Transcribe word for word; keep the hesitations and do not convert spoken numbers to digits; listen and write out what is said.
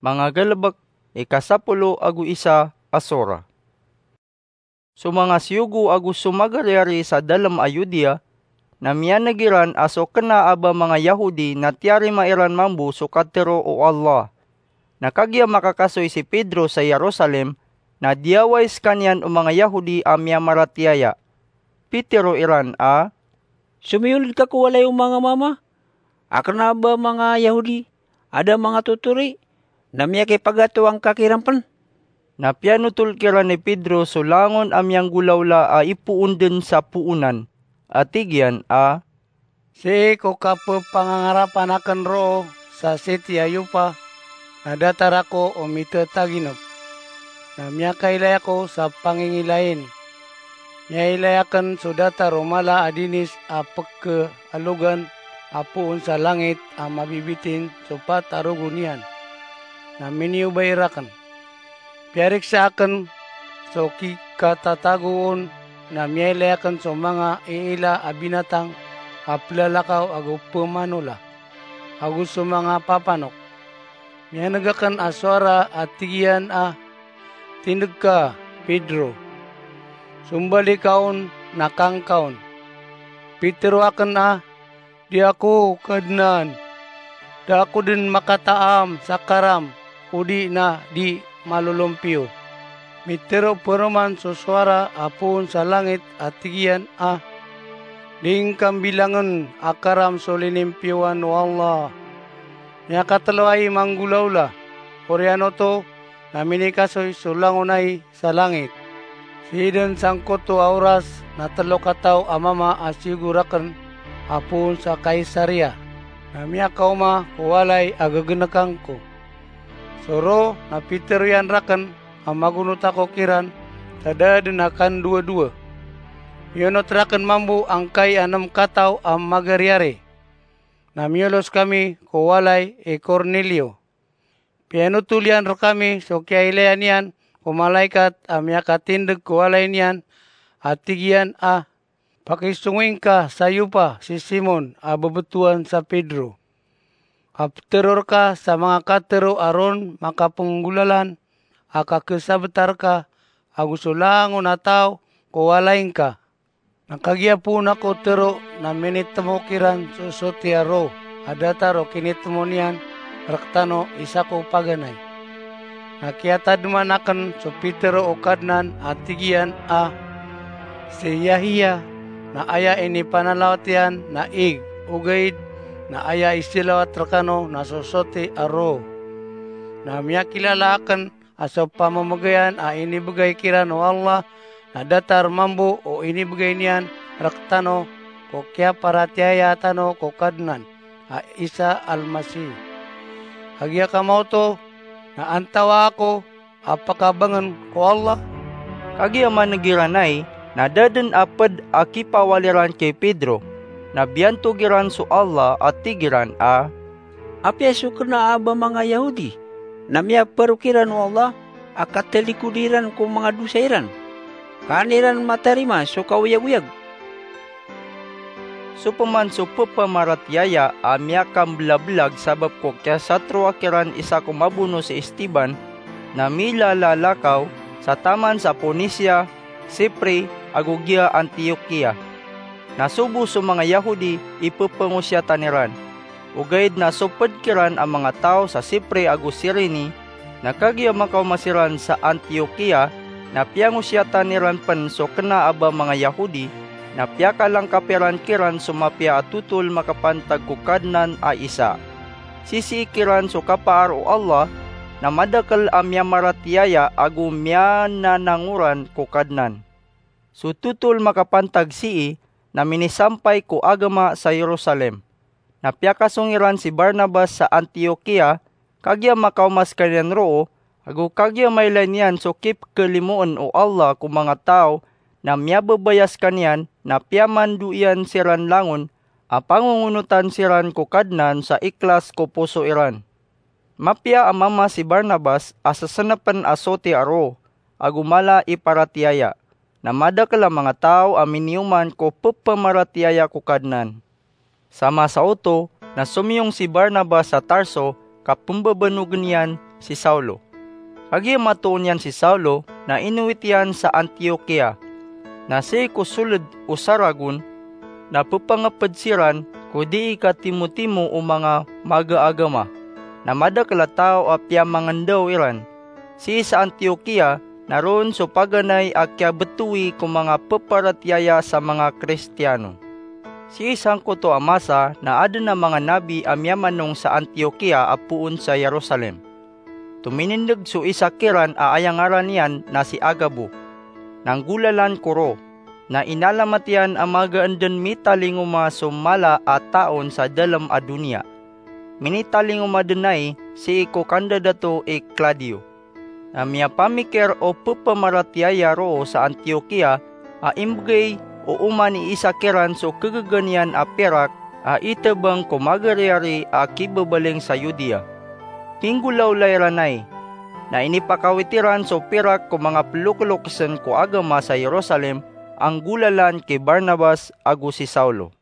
Mangagalebek, ika sapolo ago isa a sora. So manga siyogo ago so magaryari sa dalem a Yudea, na miyaneg iran a so kena a ba manga Yahudi na tiyarima iran mambo so katero o Allah. Na kagiya makakasoy si Pedro sa Jerusalem, na diyawai sekaniyan o manga Yahudi a miyamaratiyaya. Pitero iran a, "Somiyoled ka ko walay o manga mama a kena a ba manga Yahudi a da manga totori, na miyakipagato angka kiran pen?" Na piyanotol kiran i Pedro so langon a miyanggolawla a ipoon den sa poonan, a tig iyan a, "Sii ko kapepangangarapan aken roo sa siti a Yopa, na datar ako o mitetaginep. Na miyakailay ako sa pangingilayin. Miyailay aken so datar o mala a dinis a pekealogan a poon sa langit a mabibitin so pat a rogo niyan, na miniyobay raken. Piyariksa aken so kikatatagoon, na miyailay aken so manga iila a binatang a pelalakaw ago pemanola, ago so manga papanok. Miyaneg aken a sowara a tig iyan a, 'Tindeg ka, Pedro. Sombali ka on na kangka on.' Pitero aken a, 'Di ako, Kadnan. Da ako den makataam sa karam, odi na di malolompiyo.' Mitero peroman so sowara a poon sa langit a tig iyan a, 'Di ngka mbilangen a karam so linimpiyowan o Allah. Miyakatelo ai manggolawla. Oriyan oto na minikasoy so langon ai sa langit.' Sii den sangkoto a oras na telo kataw a mama a siyogo raken a poon sa Kaisaria, na miyakaoma ko walay a gegenekan ko. So roo na pitero iyan raken a magonot ako kiran sa da den a kandowadowa. Miyonot raken mambo angkai a nem kataw a magaryari. Na miyolos kami ko walay i Cornelio. Piyanotol iyan rekami so kiyailaya niyan ko malaikat a miyakatindeg ko walay niyan, a tig iyan a, 'Pakisongoy ngka sa Yopa si Simon a bebetowan sa Pedro. Kapetero reka sa manga katero a ron makapenggolalan a kakesabeta reka ago so langon a taw ko walay ngka.' Na kagiya poon ako tero na minitemo kiran so soti a roo a datar o kinitemo niyan rektano i sako paganay. Na kiyatademan aken so pitero o Kadnan a tig iyan a, 'Si Yahiya na aya inipanalawat iyan na ig, ogaid na aya isilawat rekano na so soti a roo.' Na miyakilala aken a so pamemegayan a inibegay kiran o Allah na datar mambo o inibegay niyan rektano ko kiyaparatiyaya tano ko Kadnan a Isa Almasih. Kagiya kamaoto na antawaa ako a pakabangen ko Allah?" Kagiya maneg iran ai, na da den a ped a kipawal iran ki Pedro, na biyantog iran so Allah a tig iran a, "Apiya so kena a ba manga Yahudi na miyaparokiran o Allah a katalikodi ran ko manga dosa iran, ka an iran matarima so kaoyagoyag?" So peman so pepamaratiyaya a miyakambelabelag sabap ko kiyasatroa kiran isa ko mabono si Esteban, na milalalakaw sa taman sa Ponisia, Sipre, ago giya Antiokia. Na sobo so manga Yahudi i pepangosiyatan iran. Ogaid na so ped kiran a manga taw sa Sipre ago Sirene, na kagiya makaoma siran sa Antiokia, na piyangosiyatan iran pen so kena a ba manga Yahudi, na piyakalangkap iran kiran so mapiya a totol makapantag ko Kadnan a Isa. Sisii kiran so kapaar o Allah, na madakel a miyamaratiyaya ago miyananangoran ko Kadnan. So totol makapantag sii na minisampay ko agama sa Jerusalem. Na piyakasong iran si Barnabas sa Antiokia, kagiya makaoma sekaniyan roo, ago kagiya mailay niyan so kipekelimoen o Allah ko manga taw na miyababaya sekaniyan, na piyamando iyan siran langon a pangongonotan siran ko Kadnan sa ikhlas ko poso iran. Mapiya a mama si Barnabas a sesenepen a soti a roo, ago mala i paratiyaya, na madakel a manga taw a miniyoman ko pepamaratiyaya ko Kadnan. Sa masa oto, na somiyong si Barnabas sa Tarso, ka pembabanogn iyan si Saulo. Kagiya matoon iyan si Saulo na inowit iyan sa Antiokia. Na sii ko soled o saragon na pepangeped siran ko dii katimotimo o manga magaagama, na madakel a taw a piyamangendaw iran. Sii sa Antiokia na roo so paganay a kiyabetowi ko manga peparatiyaya sa manga Kristiano. Sii sangkoto a masa na aden a manga nabi a miyamanong sa Antiokia a poon sa Jerusalem. Tominindeg so isa kiran a aya ngaran iyan na si Agabo, na nggolalan ko roo, na inalamat iyan a magaan den mitalingoma so mala a taon sa dalem a doniya. Minitalingoma den ai sii ko kandadato i Claudio. Na miyapamikir o pepamaratiyaya roo sa Antiokia a imbegay o oman i isa kiran so kegegan iyan a pirak a itebang ko magariyari a kibabaling sa Judea. Pinggolawla iran ai, na inipakawit iran so pirak ko manga pelokelokesen ko agama sa Jerusalem a nggolalan ki Barnabas ago si Saulo.